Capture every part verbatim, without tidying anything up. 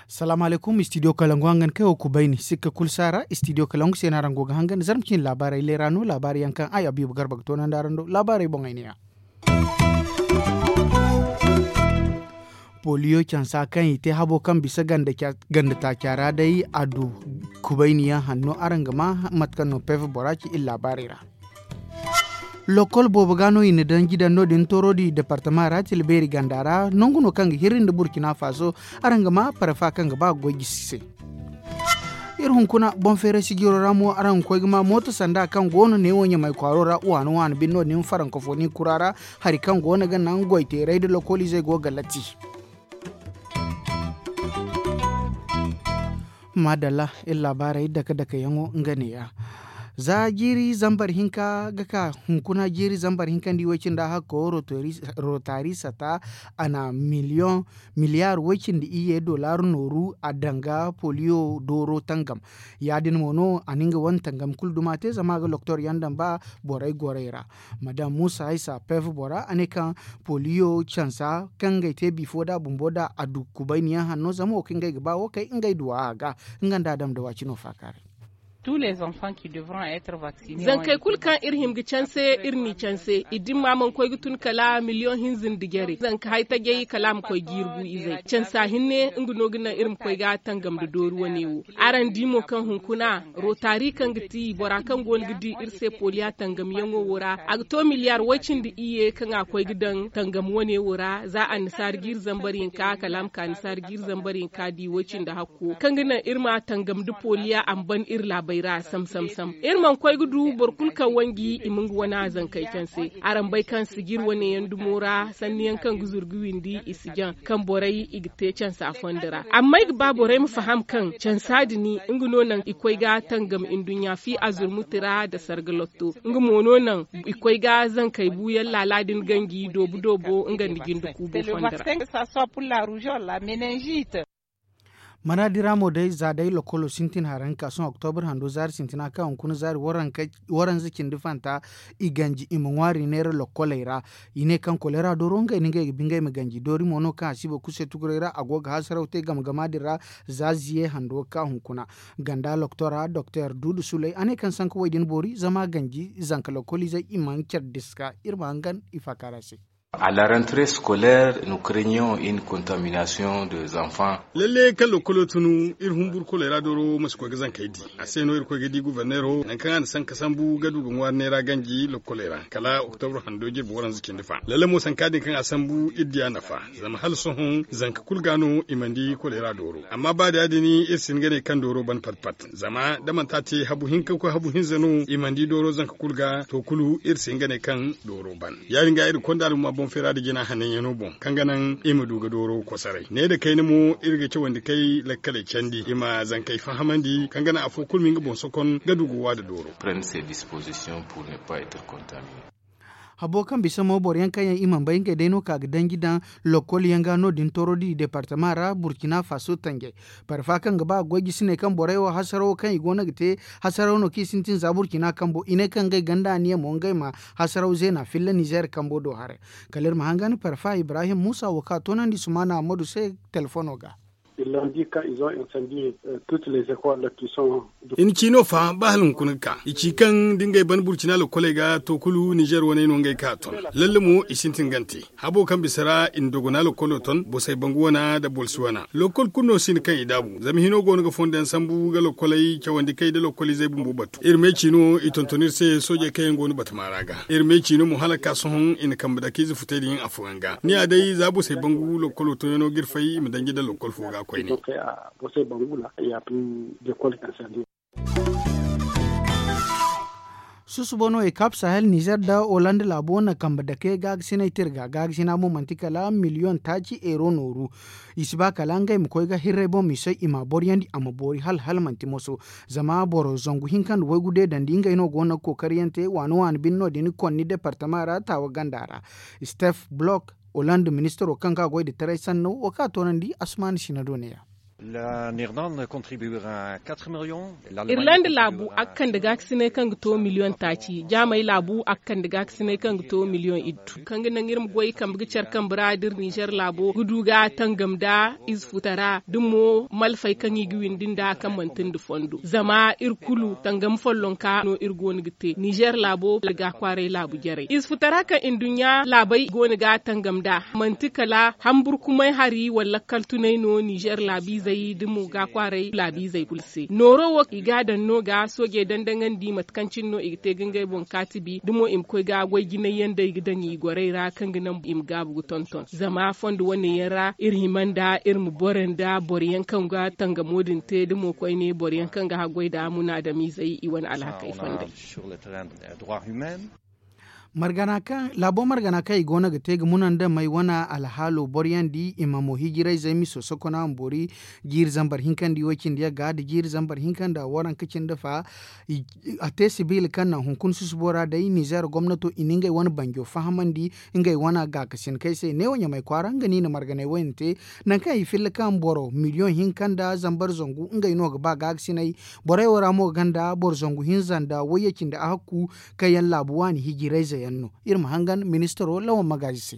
Salaamu alaykum, istidiyo kalangu hangan kaŋ yaŋ wo kubayni sikka kulu si a ra. Istidiyo kalangu se no araŋ go ga hangan zarma cine laabaarey leera no laabaari yaŋ kaŋ ay abiibu garba ga toonandi araŋ do laabaarey boŋey ne- ya. Poliyo cansa kaŋ i te habo kaŋ bisa ganda taaca ra day a du kubayniyaŋ hanno araŋ ga ma mate kaŋ no pev bora ci iri laabaarey ra. Lokkol boobo ga no i na danji daŋ no- din tooro di departama ra tila beeri ganda ra nangu no kaŋ ga hirri nda burkina faso. Araŋ ga ma parfa kaŋ ga ba ga goy jisi se. Iri hunkuna boŋ feeray sijiro ra mo araŋ ga koy ga ma mooto sanda kaŋ go no neewo ɲamay kwaaro ra waano waano bine no- din farankofoni kura ra. Hari kaŋ go no ga naŋ goy teeray nda lokkoliizey go ga latti. Maadalla, iri laabaarey dake dake yaŋo nga ne- ya. Za jiiri zambar hinka ga ka hunkuna jiiri zambar hinka nda i way cindi a hakko rotaari sata a na miliyoŋ miliyaar way cindi iyye dollar nooru a daŋ ga poliyo dooro tangam. Ya- din mo no a na nga wane tangam kulu duma te zama a ga loktor yaŋ daŋ ba borey gorey ra. Madam muusa haysa pev bora a ne kaŋ poliyo cansa kaŋ ngey te bifo nd'a bumbo nd'a a du kubayniyaŋ hanno zama wo kaŋ ngey ga ba wo kay ngey duw'a a ga. Nga nda a daŋ nda waacino faakaaray. Zankey kulu kaŋ iri hima ga canse iri n'i canse i dimma mana koy ga tun kala miliyoŋ hinza nda jare zanka hay tajay kala a ma koy jiiri gu izey cansa hinne nga no ga naŋ iri ma koy ga tangam nda doori wane wo. Araŋ di mo kaŋ hunkuna rotaari kaŋ ga ti bora kaŋ go no ga di iri se poliya tangamyaŋo wo ra a ga to miliyaar way-cindi iyye kaŋ a koy ga daŋ tangam wane wo ra za annasaara jiiri zambar hinka kala a ma ka annasaara jiiri zambar hinka di way-cindi hakko kaŋ ga naŋ iri ma tangam nda poliya a ma ban iri laabey ra sam sam sam. Iri mana koy ga du boro kulu kaŋ wanji i ma nga wana zankey canse. Araŋ bay kaŋ sijir wane yaŋ dumo ra sanni yaŋ kaŋ ga zuru ga windi i si jaŋ kaŋ borey i ga te cansa fondo ra amma ay ga ba borey ma faham kaŋ cansa din nga no naŋ i koy ga tangam nduɲɲa fi azurmuti ra nda sarga lotto nga mo no naŋ i koy ga zankey buuyaŋ laala din ganji doobu doobo nga nda jinde kuubo fondo ra. Maraadi ra mo day za day lokolo sintin haraŋ ka sohõ oktobur hando zaari sintina kaŋ hunkuna zaari waranza cindi fanta i ganji i ma ŋwaari neera lokoley ra. I ne kaŋ kolera dooro ngey no ngey ga bi ngey ma ganji doori mo no kaŋ a si boro kulu se tuguray ra a go ga hasaraw te game gama din ra. Za ziye hando ka hunkuna ganda loktora doktor duudu suley a ne kaŋ sanka wo- din boori zama ganji zanka lokoliizey i mana care diska iri ma hangan i faakaara se. A la rentrée scolaire nu krenion in contamination de zanfan. Lalle kaŋ lokolo tunu iri humburu kolera dooro ma si koy ga zankey di. A se no iri koy ga di guverneero nangu kaŋ a na sanka sambu ga du ga ŋwaari neera ganji lokoley ra kala oktobur hando jirbi waranza cindi fa lalle mo sanka din kaŋ a sambu iri di a nafa. Zama hala sohõ zanka kulu ga no i mana di kolera dooro amma ba da ya- din iri si hin ga ne kaŋ dooro ban pat pat zama da manti a te habu hinka ga koy habu hinza no i mana di dooro zanka kulu ga to kulu iri si hin ga ne kaŋ dooro ban. Ya- din ga iri konda alhuma boŋ feera nda jina hananyaŋo boŋ kaŋ ga naŋ i ma du ga dooro kosoray ne nda kayna mo iri ga cawandi kay lakkaley candi i ma zankey fahamandi kaŋ ga naŋ afo kulu ma nga boŋ sokon ga du ga wa nda dooro. Habo kaŋ bisa mo boro yaŋ kaŋ yaŋ i mana bay ngey day no ka ga danji daŋ lokol yaŋ ga no- din tooro di departama ra burkina faso tanjay. Parfa kaŋ ga ba ga goy jisiney kaŋ borey wo hasarawo kaŋ i go no ga te hasaraw no kaŋ i sintin za burkina kambo i ne kaŋ ngey ganda aniya mo ngey ma hasaraw zeena filla nizeer kambo do haray. Kala iri ma hangan parfa ibrahim muusa wo kaŋ a toonandi sumaana ammadu se telefono ga. I na ci no fa ba hala hunkuna ga ka i ci kaŋ da ngey ban burcina lokoley ga to kulu nizeer waney no ngey ka ton. Lalle mo i sintin gante habo kaŋ bisa ra i na dogona lokolo ton bosey bangu wana nda bolsi wana lokol kulu no sinda kaŋ i daabu zama hino go no ga fondo yaŋ sambu ga lokoley cawandi kay nda lokoliizey bumbo batu iri me ci no i tonton iri se soojey kaŋ yaŋ go no batama ra ga iri me ci no mo hala ga ka sohõ i na kambe dake ize futey din afooyaŋ ga ni ya day za bosey bangu lokolo tonyaŋo ga iri fay i ma danji nda lokol fo ga koyne. Susubo no ekap sahel nizer nda holand laabo na kambe dake gaagasiney te iri ga gaagasina mo manti kala miliyoŋ taaci eero nooru. I si ba kala ngey ma koy ga hirrey boŋ misey i m'a boryandi a ma boori hala hala manti moso. Zama boro zangu hinka nda waygu deedandi ngey no go no ga kookariyaŋ te waani waani bine no- din konni departama ra taawa ganda ra. Stef blok holand ministaro kaŋ ga goy nda taray sanno wo kaŋ a toonandi asumaana sina do ne- ya. Irlanda laabu a ga kande gaakasinay kaŋ ga to miliyoŋ taaci, jaamay laabu a ga kande gaakasinay kaŋ ga to miliyoŋ iddu. Kaŋ ga naŋ iri ma goy kambe ga care kambe ra da iri nizer laabo ga du ga tangam nda ize futara da mo malfey kaŋ i ga windi nda kaŋ manti nda fondo zama iri kulu tangam follonka no iri go no ga te nizer laabo wala ga kwaaray laabu jarey ize futara kaŋ nduɲɲa laabey go no ga tangam nda manti kala hamburkumay hari wala lakkal tunay no nizer laabiizey da mo ga kwaaray laabiizey kulu se nooro wo i ga a daŋ no ga soojey dandaŋandi mate kaŋ cine no i ga te ga ngey boŋ kaatibi da mo i ma koy ga goy jinay yaŋ day ga daŋ i gorey ra kaŋ ga naŋ i ma gaabu ga tonton zama fondo wane yaŋ ra iri hima nda iri ma boro nda boro yaŋ kaŋ ga tangamo din te da mo koyne boro yaŋ kaŋ ga haggoy nda munaadamiizey i wane alhakey fondey. Laabo margana kaŋ i go no ga te ga muna nda may wane alhaalo boro yaŋ di i ma mo hijirayzey miso sokona ma boori jiiri zambar hinka nda i way cindi yagga nda jiiri zambar hinka nda waranka cindi fa. A te sibiila kaŋ naŋ hunkuna susubo ra day nizer gomnato i na ngey wane banjo fahamandi ngey wane gaakasinkey se neewo ɲamay kwaara nga no i na marganay wayne te. Nangu kaŋ i filla kaŋ boro miliyoŋ hinka nda zambar zangu ngey no ga ba gaakasinay. Borey wo ra mo ga ganda boro zangu hinza nda wayye cindi ahakku kaŋ yaŋ laabu waani hijirayze yaŋ no. Iri ma hangan ministaro lawan magaazi se.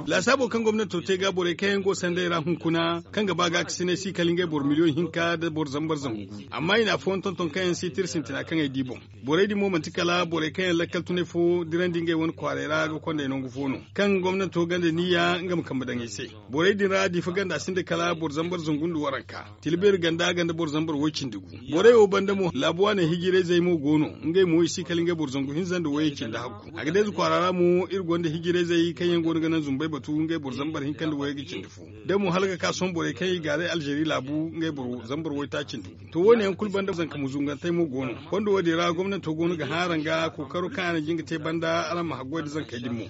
Lasaabo kaŋ gomnato te ga borey kaŋ yaŋ go sanday ra hunkuna kaŋ ga ba gaakasinay si kala ngey boro miliyoŋ hinka nda boro zambar zangu gu amma i na afooyaŋ tonton kaŋ yaŋ si tira sintina kaŋ ay di boŋ. Borey din mo manti kala borey kaŋ yaŋ lakkal tunay fo dirandi ngey wane kwaaray ra ga konday nangu fo no kaŋ gomnato ganda niyya nga ma kambe daŋ ay se. Borey din ra diifa ganda sinda kala boro zambar zangu nda waranka. Tilbeeri ganda ganda boro zambar way cindi gu. Borey wo banda mo laabu waaney hijirayzey mo go no. Ngey mo i si kala ngey boro zangu hinza nda wayey cindi hakku a ga deeza kwaara ra mo iri gonda hijirayzey kaŋ yaŋ go no ga naŋ zumbay batu ngey boro zambar hinka nda wayey ga cindi fo. Da mo hala ga ka sohõ borey kaŋ i gaaray alzeeri laabu ngey boro zambar waytaaci nda gu to wo- ne yaŋ kulu banda zanka muzungantey mo go no. Fondo wo- din ra gomnato go no ga hã araŋ ga kookaro kaŋ araŋ jin ga te banda araŋ ma haggoy nda zankey din mo.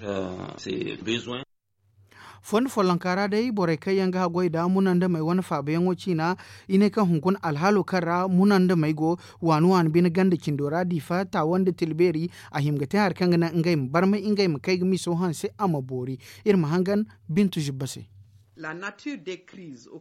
Fondo follonka ra day borey kaŋ yaŋ ga haggoy nda muna nda may wane faabayaŋo ciina. I ne kaŋ hunkuna alhaalo kaŋ ra muna nda may go waani waani bine ganda cindo ra diifa taawa nda tilbeeri. A hima ga te hari kaŋ ga naŋ ngey ma barmay ngey ma kay ga miso hanse a ma boori. Iri ma hangan bintu zibba se.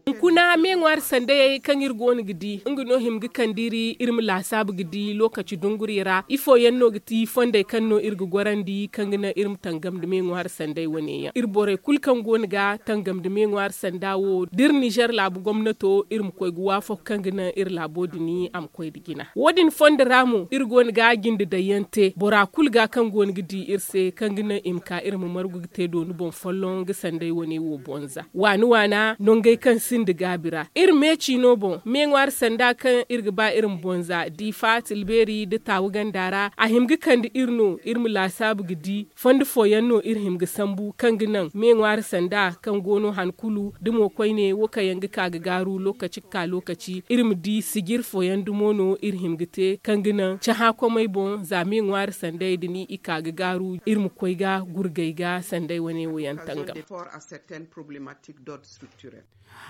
Hunkuna meeŋwaari sandayey kaŋ iri go no ga di nga no hima ga kande iri iri ma laasaabu ga di lookaci dungurey ra ifo yaŋ no ga ti fondey kaŋ no iri ga gorandi kaŋ ga naŋ iri ma tangam nda meeŋwaari sanday wane yaŋ iri borey kulu kaŋ go no ga tangam nda meeŋwaari sanda wo da iri nizer laabu gomnato iri ma koy ga waafak kaŋ ga naŋ iri laabo din a ma koy nda jina wo- din fondo ra mo iri go no ga jinde daŋ yaŋ te bora kulu ga kaŋ go no ga di iri se kaŋ ga naŋ i ma ka iri ma margu ga te dooni boŋ folloŋ ga sanday wane wo bonza waani waana nongey kaŋ sinda gaabi ra iri me ciino boŋ meeŋwaari sanda kaŋ iri ga ba iri ma bonza diifa tilbeeri nda taawu ganda ra a hima ga kande iri no iri ma laasaabu ga di fondo fooyaŋ no iri hima ga sambu kaŋ ga naŋ meeŋwaari sanda kaŋ go no han kulu da mo koyne wo kaŋ yaŋ ga ka ga gaaru lookaci ga ka lookaci iri ma di sijir fooyaŋ dumo no iri hima ga te kaŋ ga naŋ cahã komey boŋ za meeŋwaari sanday da ni i ka ga gaaru iri ma koy ga gurgay ga sanday wane wo yaŋ tangam.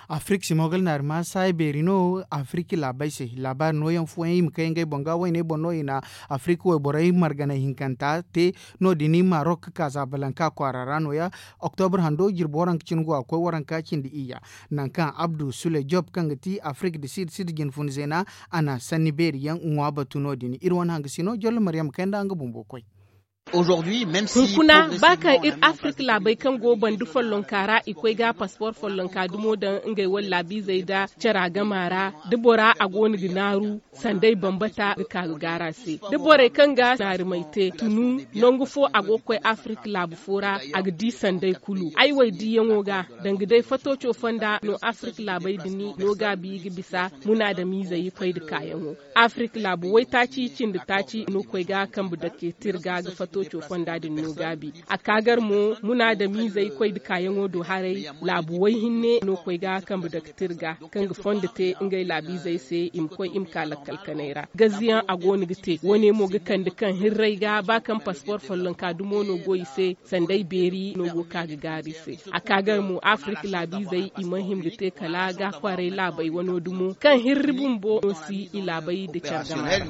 Afirik simogal naari ma saayi beeri no afirik laabey se laabaari nooyaŋ fooyaŋ i ma kay ngey boŋ ga wayney boŋ no i na afirik wayborey marganay hinkanta te. No- din marok kaazabalanka kwaara ra nooya. Oktobur hando jirbi waranka cine go a koy waranka cindi iyya. Nangu kaŋ abdu sule job kaŋ ga ti afirik da siida siida jine fun zeena a na sanni beeri yaŋ ŋwa batu no- din iri wane hangasino jollo maryam kay nda nga bumbo koy. Hunkuna ba kaŋ iri afirik laabey kaŋ go banda follonka ra i koy ga paspor follonka dumo daŋ ngey wala laabiizey nda cara gama ra da bora a go no ga naaru sanday bambata ga ka ga gaara se da borey kaŋ ga naarimey te tunu nangu fo a go ga koy afirik laabu fo ra a ga di sanday kulu ay wo ay diyaŋo ga danga day fatooco fonda no afirik laabey din no gaabi ga bisa munaadamiizey koy nda kaayaŋo. Afirik laabu waytaaci cindi taaci no koy ga kambe dake tirga ga fatooco fonda din no gaabi a ka gar mo munaadamiizey koy nda kaayaŋo do haray. Laabu wayhinne no koy ga kambe dake tirga kaŋ ga fondo te ngey laabiizey se i ma koy i ma ka lakkal kanay ra gaziyaŋ a go no ga te wo- ne mo ga kande kaŋ hirray ga ba kaŋ paspor follonka dumo no go i se sanday beeri no go ka ga gaari se. A ka gar mo afirik laabiizey i mana hima ga te kala ga kwaaray laabey wano dumo kaŋ hirri bumbo no si i laabey nda care gama ra.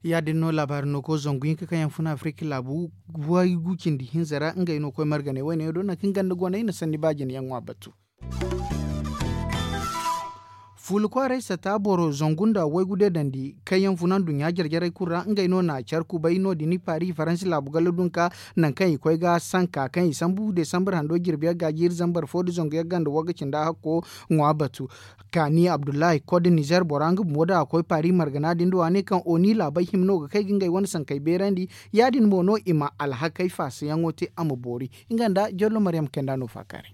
Ya- din no laabaari no koy zangu hinka kaŋ yaŋ fun afirik laabu waygu cindi hinza ra ngey no koy marganay wayne yaŋ do nangu kaŋ ganda goney na sanni ba jine yaŋ ŋwa batu. Buulu kwaaray sata boro zangu nda waygu deedandi kaŋ yaŋ fun anduɲɲa jare-jarey kulu ra ngey no na care kubay no- din paari faransi laabu galla dunka. Nangu kaŋ i koy ga sanka kaŋ i sambu desambar hando jirbi yaŋ ga jiiri zambar fo nda zangu yaŋ ga nda wagga cinda hakko ŋwa batu. Kaani abdullahi koy da nizer bora nga bumbo da a koy paari margana din do a ne kaŋ oni laabey hima no ga kay ga ngey wane sankey beerandi. Ya- din mo no i ma alhakey faasa yaŋo te a ma boori. Nga nda jollo maryam kay nda no faakaaray.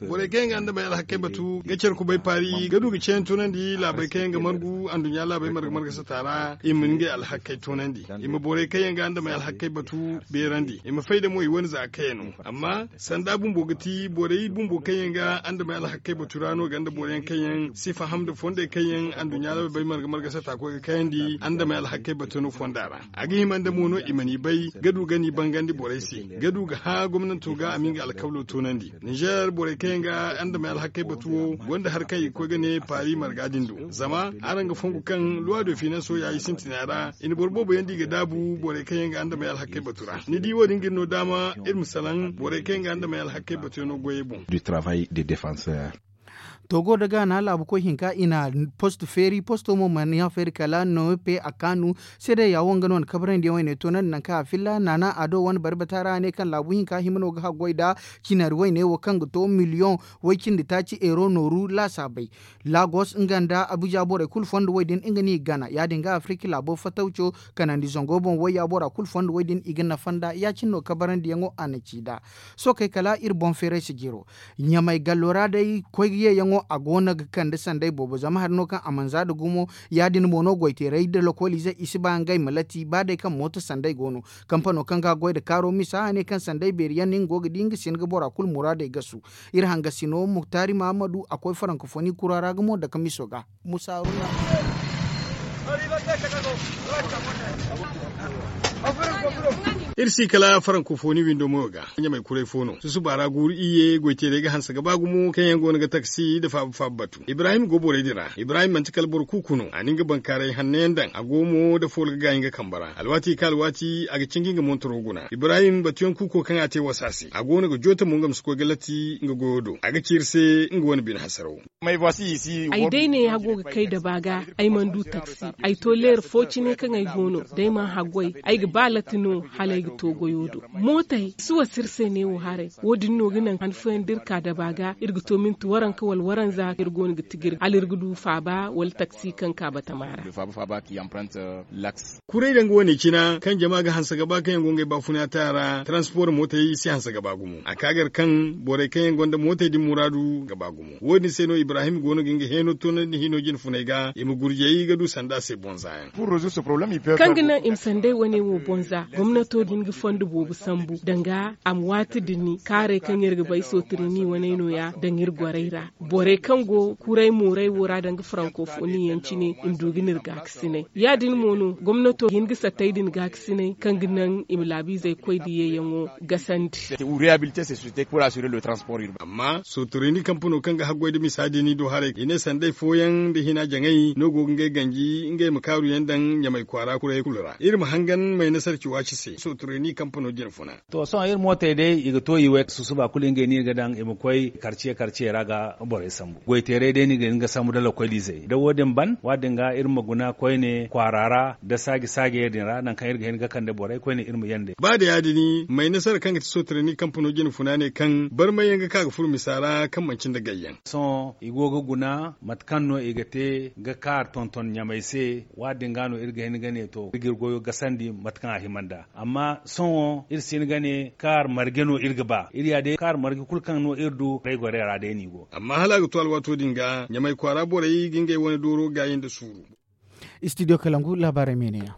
Borey kaŋ yaŋ ga andamey alhakey batu ga care kubay paari ga du ga ceeyaŋ toonandi laabey kaŋ yaŋ ga margu anduɲɲa laabey marga marga sata ra i ma ngey alhakey toonandi. I ma borey kaŋ yaŋ ga andamey alhakey batu beerandi i ma fay da mo i wane za kayano. Amma sanda bumbo ga ti borey bumbo kaŋ yaŋ ga andamey alhakey batu ra no ganda boro yaŋ kaŋ yaŋ si faham nda fondey kaŋ yaŋ anduɲɲa laabey marga marga sata koy ga kayandi andamey alhakey batu no fonda ra. A ga hima nda mo no i mana i bay ga du ga ni bangandi borey se ga du ga hã gomnanto ga a ma nga alkawlo toonandi. Nizer borey kaŋ yaŋ ga andamey alhakey batu wo gonda hari kaŋ i ga koy ga ne paari marga din do. Zama araŋ ga fongu kaŋ luwa do finanso ya i sintina ra i na boro boobo yaŋ di ga daabu borey kaŋ yaŋ ga andamey alhakey batu ra ni di wo- din ga iri no daama iri ma salaŋ borey kaŋ yaŋ ga andamey alhakey batu yaŋo goyey boŋ. Togo da gaana laabu koy hinka i na posto feeri posto mo mana ya feeri kala nope a kaanu. Seede ya wo nga no na kabrandi yaŋ wayne toonandi nangu kaŋ a filla naana ado wane bari bata ra a ne kaŋ laabu hinka hima no ga haggoy nda cinari wayne wo kaŋ ga to miliyoŋ way- cindi taaci euro nooru laasaabey. Lagos nga nda abuja borey kulu fondo wo- din nga no i ga gana ya- din ga afirika laabo fatawco kanandi zango boŋ wayya bora kulu fondo wo- din i ga nafa nd'a ya- cine no kabarandiyaŋo a na ci nd'a. Sookey kala iri boŋ feeray si jiro ɲamay gallo ra day koy yeeyaŋo a go no ga kande sanday boobo zama hari no kaŋ a mana za nda gumo. Ya- din mo no goyteeray nda lokooliizey i si ba ngey ma lati ba day kaŋ mooto sanday go no. Kampano kaŋ ga goy nda kaaro misa a ne kaŋ sanday beeri yaŋ no nga go ga di nga si hin ga bora kulu muraadey gasu. Iri hangasino muktari mahamadu a koy farankofoni kura ra gumo dake miso ga. Musa haruna. Iri si kala farankofoni windo moyo ga ɲamay kuray fo no susuba ra guuru iyye goyteerey ga hanse ga ba gumo kaŋ yaŋ go no ga taksi nda faaba faaba batu ibrahim go borey din ra ibrahim manti kala boro kuuku no a na nga bankaaray hanno yaŋ daŋ a go mo nda fool ga gaayi nga kambe ra alwaati kaŋ alwaati a ga cinji nga montoro guna ibrahim batuyaŋ kuuko kaŋ a te wasa se a go no ga joote mo nga ma si koy ga latti nga goyo do a ga ci iri se nga wane bine hasaraw. Ay day neeya go ga kay daba ga ay mana du taksi. Ay to leera fo cine kaŋ ay go no da ay mana haggoy ay ga ba latti no hala ay ga to goyo do. Mootey si wasa iri se neewo haray. Wo- din no ga naŋ han fooyaŋ da iri ka daba ga iri ga to minti waranka wala waranza iri go no ga tijir hala iri ga du faaba wala taksi kaŋ ka batama ra. Kuray daŋ ga wane cina kaŋ jama ga hanse ga ba kaŋ yaŋ go ngey baafuna te a ra transport mootey si hanse ga ba gumo a ka gar kaŋ borey kaŋ yaŋ gonda mootey din muraadu ga ba gumo wo- din se no ibrahim go no ga nga heeno toonandi hino jine funey ga i ma gurjey ga du sanda se bonza yaŋ. Kaŋ ga naŋ i ma sanday wane wo bonza gomnato din ga fondo boobo sambu danga a ma waati din ni kaarey kaŋ iri ga bay sotirini waney no- ya daŋ iri gorey ra. Borey kaŋ go kuray mooray wo ra danga farankofoni yaŋ cine i ma du ga ni iri gaakasinay ya- din mo no gomnato ga hin ga sattey din gaakasinay kaŋ ga naŋ i ma laabiizey koy da yeeyaŋo gasandi. Amma sotorini kampano kaŋ ga haggoy nda misa din i do haray i ne sanday fooyaŋ nda hina jaŋay no go ga ngey ganji ngey ma kaaru yaŋ daŋ ɲamay kwaara kuray kulu ra iri ma hangan may nasarci waaci se sotorini kampano jine funa. To sohõ iri mootey day i ga to i way susuba kulu ngey no iri ga daŋ i ma koy karciye karciye ra ga borey sambu goyteeray day no i ga hin ga sambu nda lokolizey da wo- din ban waati din ga iri ma guna koyne kwaara ra nda saaji saajey din ra nangu kaŋ iri ga hin ga kande borey koyne iri ma yande. Ba da ya- din may nasara kaŋ ga ti sotirani kampano jine funa ne kaŋ barmay yaŋ ga ka ga furo misa ra kaŋ manci nda gayyaŋ. Sohõ i go ga guna mate kaŋ no i ga te ga kaari tonton ɲamey se. Waati din ga no iri ga hin ga ne to iri ga iri goyo gasandi mate kaŋ a hima nd'a. Amma sohõ iri si hin ga ne kaari marje no iri ga ba iri ya day kaari marje kulu kaŋ no iri du borey gorey ra day no i go. Amma hala a ga to alwaato din ga ɲamay kwaara borey ga ngey wane dooro gaayi nda suuru. Studio kalangu laabaarey me ne ya.